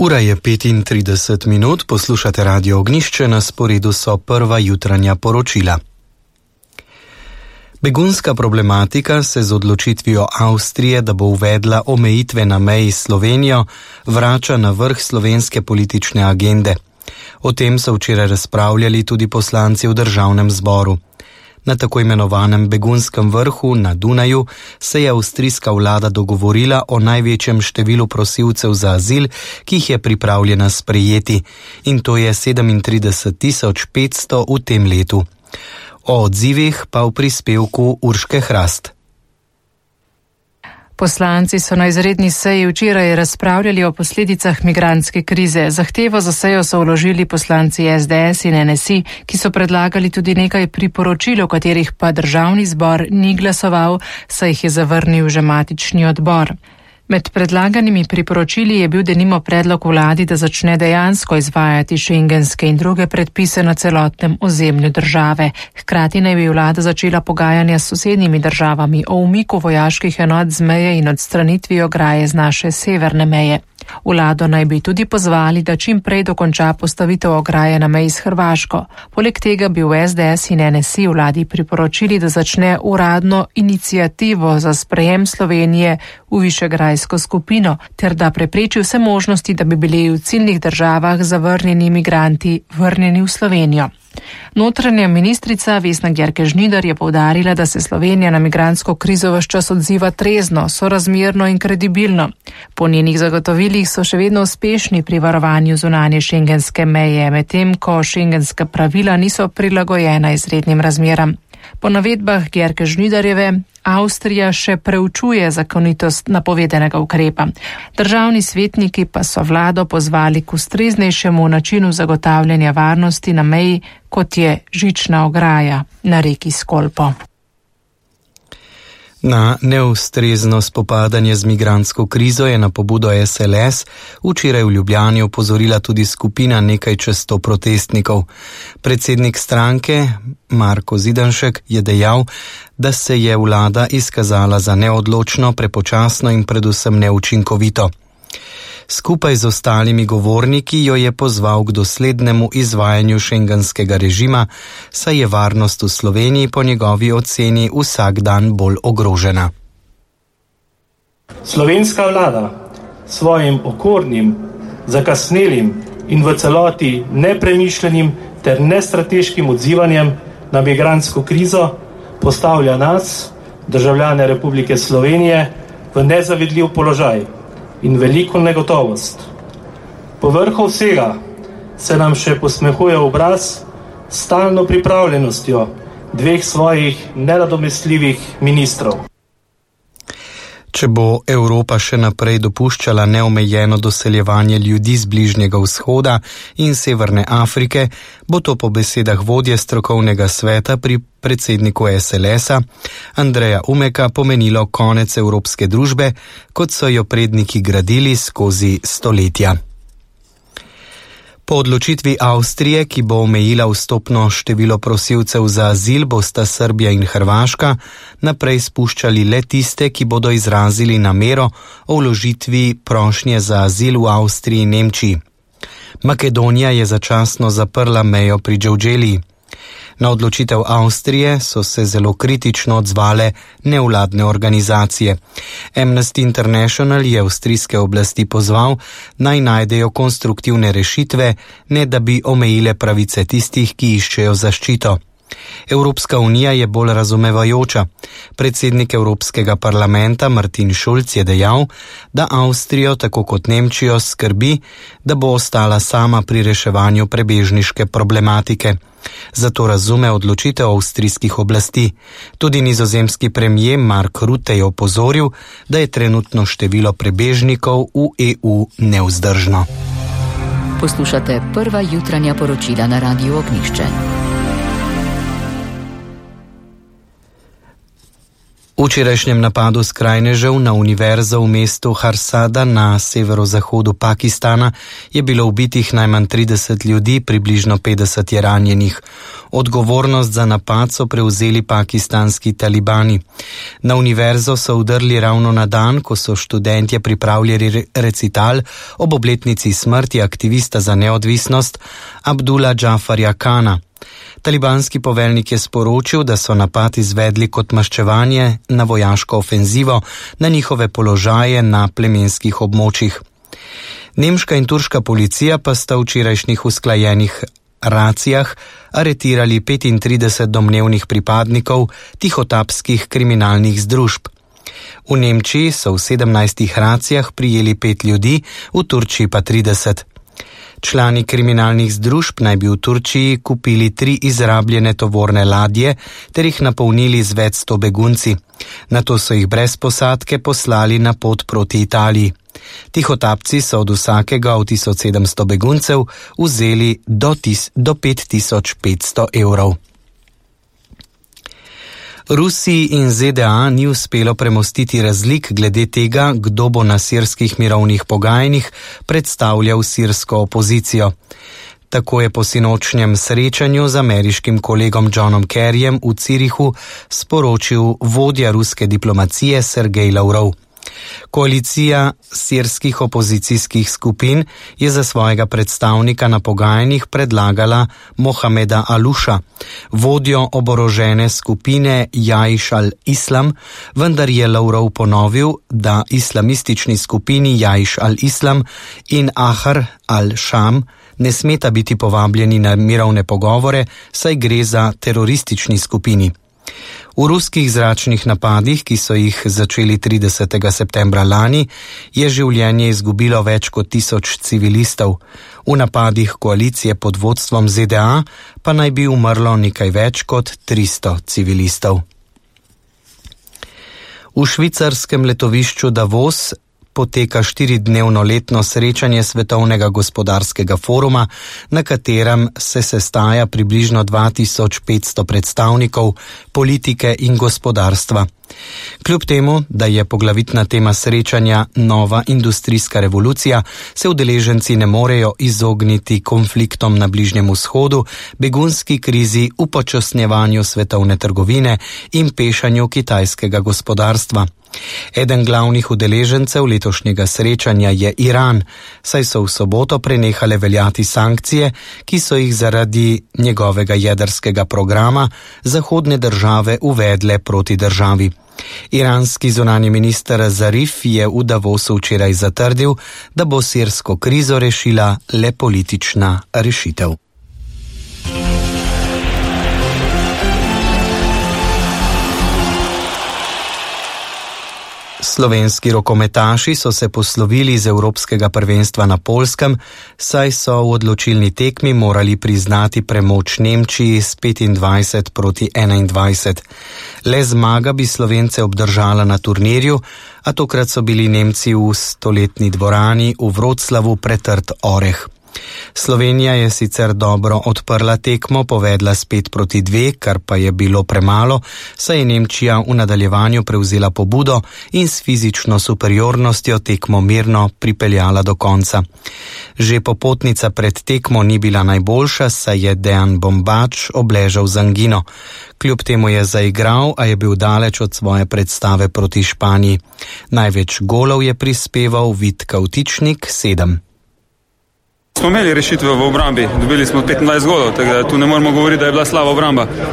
Ura je 35 minut, poslušate Radio Ognjišče, na sporedu so prva jutranja poročila. Begunska problematika se z odločitvijo Avstrije, da bo uvedla omejitve na meji s Slovenijo, vrača na vrh slovenske politične agende. O tem so včeraj razpravljali tudi poslanci v državnem zboru. Na tako imenovanem begunskem vrhu na Dunaju se je avstrijska vlada dogovorila o največjem številu prosilcev za azil, ki jih je pripravljena sprejeti, in to je 37.500 v tem letu. O odzivih pa v prispevku Urške Hrast. Poslanci so na izredni seji včeraj razpravljali o posledicah migrantske krize. Zahtevo za sejo so vložili poslanci SDS in NSI, ki so predlagali tudi nekaj priporočil, o katerih pa državni zbor ni glasoval, saj jih je zavrnil že matični odbor. Med predlaganimi priporočili je bil denimo predlog vladi, da začne dejansko izvajati šengenske in druge predpise na celotnem ozemlju države. Hkrati naj bi vlada začela pogajanja s sosednjimi državami o umiku vojaških enot z meje in odstranitvi ograje z naše severne meje. Vlado naj bi tudi pozvali, da čim prej dokonča postavitev ograje na meji s Hrvaško. Poleg tega bi v SDS in NSI vladi priporočili, da začne uradno iniciativo za sprejem Slovenije v višegrajsko skupino, ter da prepreči vse možnosti, da bi bili v ciljnih državah zavrnjeni migranti vrnjeni v Slovenijo. Notranja ministrica Vesna Györke Žnidar je poudarila, da se Slovenija na migrantsko krizo ves čas odziva trezno, sorazmerno in kredibilno. Po njenih zagotovilih so še vedno uspešni pri varovanju zunanje šengenske meje, medtem ko šengenska pravila niso prilagojena izrednim razmeram. Po navedbah Györke Žnidarjeve Avstrija še preučuje zakonitost napovedanega ukrepa. Državni svetniki pa so vlado pozvali k ustreznejšemu načinu zagotavljanja varnosti na meji, kot je žična ograja na reki Skolpo. Na neustrezno spopadanje z migrantsko krizo je na pobudo SLS včeraj v Ljubljani opozorila tudi skupina nekaj čez 100 protestnikov. Predsednik stranke Marko Zidanšek je dejal, da se je vlada izkazala za neodločno, prepočasno in predvsem neučinkovito. Skupaj z ostalimi govorniki jo je pozval k doslednemu izvajanju šengenskega režima, saj je varnost v Sloveniji po njegovi oceni vsak dan bolj ogrožena. Slovenska vlada svojim okornim, zakasnelim in v celoti nepremišljenim ter nestrateškim odzivanjem na migrantsko krizo postavlja nas, državljane Republike Slovenije, v nezavidljiv položaj in veliko negotovost. Povrhu vsega se nam še posmehuje obraz s stalno pripravljenostjo dveh svojih nenadomestljivih ministrov. Če bo Evropa še naprej dopuščala neomejeno doseljevanje ljudi z Bližnjega vzhoda in Severne Afrike, bo to po besedah vodje strokovnega sveta pri predsedniku SLS-a Andreja Umeka pomenilo konec evropske družbe, kot so jo predniki gradili skozi stoletja. Po odločitvi Avstrije, ki bo omejila vstopno število prosilcev za azil, bosta Srbija in Hrvaška naprej spuščali le tiste, ki bodo izrazili namero o vložitvi prošnje za azil v Avstriji in Nemčiji. Makedonija je začasno zaprla mejo pri Đevđeliji. Na odločitev Avstrije so se zelo kritično odzvale nevladne organizacije. Amnesty International je avstrijske oblasti pozval, naj najdejo konstruktivne rešitve, ne da bi omejile pravice tistih, ki iščejo zaščito. Evropska unija je bolj razumevajoča. Predsednik Evropskega parlamenta Martin Schulz je dejal, da Avstrijo, tako kot Nemčijo, skrbi, da bo ostala sama pri reševanju prebežniške problematike. Zato razume odločitev avstrijskih oblasti. Tudi nizozemski premier Mark Rutte je opozoril, da je trenutno število prebežnikov v EU nevzdržno. Poslušate prva jutranja poročila na Radiu Ognjišče. V včerajšnjem napadu skrajnežev na univerzo v mestu Harsada na severozahodu Pakistana je bilo ubitih najmanj 30 ljudi, približno 50 je ranjenih. Odgovornost za napad so prevzeli pakistanski talibani. Na univerzo so vdrli ravno na dan, ko so študentje pripravljali recital ob obletnici smrti aktivista za neodvisnost Abdullah Džafarja Kana. Talibanski poveljnik je sporočil, da so napad izvedli kot maščevanje na vojaško ofenzivo na njihove položaje na plemenskih območjih. Nemška in turška policija pa sta v včerajšnjih usklajenih racijah aretirali 35 domnevnih pripadnikov tihotapskih kriminalnih združb. V Nemčiji so v 17 racijah prijeli 5 ljudi, v Turčiji pa 30. Člani kriminalnih združb naj bi v Turčiji kupili 3 izrabljene tovorne ladje ter jih napolnili z več 100 begunci. Nato so jih brez posadke poslali na pot proti Italiji. Tihotapci so od vsakega od 1700 beguncev vzeli do 5500 evrov. Rusiji in ZDA ni uspelo premostiti razlik glede tega, kdo bo na sirskih mirovnih pogajanjih predstavljal sirsko opozicijo. Tako je po sinočnjem srečanju z ameriškim kolegom Johnom Kerryjem v Cirihu sporočil vodja ruske diplomacije Sergej Lavrov. Koalicija sirskih opozicijskih skupin je za svojega predstavnika na pogajanjih predlagala Mohameda Alusha, vodjo oborožene skupine Jaiš al-Islam, vendar je Lavrov ponovil, da islamistični skupini Jaiš al-Islam in Ahar al-Sham ne smeta biti povabljeni na mirovne pogovore, saj gre za teroristični skupini. V ruskih zračnih napadih, ki so jih začeli 30. septembra lani, je življenje izgubilo več kot 1000 civilistov. V napadih koalicije pod vodstvom ZDA pa naj bi umrlo nekaj več kot 300 civilistov. V švicarskem letovišču Davos poteka 4-dnevno letno srečanje Svetovnega gospodarskega foruma, na katerem se sestaja približno 2500 predstavnikov politike in gospodarstva. Kljub temu, da je poglavitna tema srečanja nova industrijska revolucija, se udeleženci ne morejo izogniti konfliktom na Bližnjem vzhodu, begunski krizi, upočasnjevanju svetovne trgovine in pešanju kitajskega gospodarstva. Eden glavnih udeležencev letošnjega srečanja je Iran, saj so v soboto prenehale veljati sankcije, ki so jih zaradi njegovega jedrskega programa zahodne države uvedle proti državi. Iranski zunanji minister Zarif je v Davosu včeraj zatrdil, da bo sirsko krizo rešila le politična rešitev. Slovenski rokometaši so se poslovili iz evropskega prvenstva na Poljskem, saj so v odločilni tekmi morali priznati premoč Nemčiji s 25-21. Le zmaga bi Slovence obdržala na turnirju, a tokrat so bili Nemci v stoletni dvorani v Vroclavu pretrd oreh. Slovenija je sicer dobro odprla tekmo, povedla s 5-2, kar pa je bilo premalo, saj je Nemčija v nadaljevanju prevzela pobudo in s fizično superiornostjo tekmo mirno pripeljala do konca. Že popotnica pred tekmo ni bila najboljša, saj je Dejan Bombač obležal z angino. Kljub temu je zaigral, a je bil daleč od svoje predstave proti Španiji. Največ golov je prispeval Vid Kavtičnik, 7. Smo imeli rešitve v obrambi, dobili smo 25 golov, tako da tu ne moremo govoriti, da je bila slaba obramba.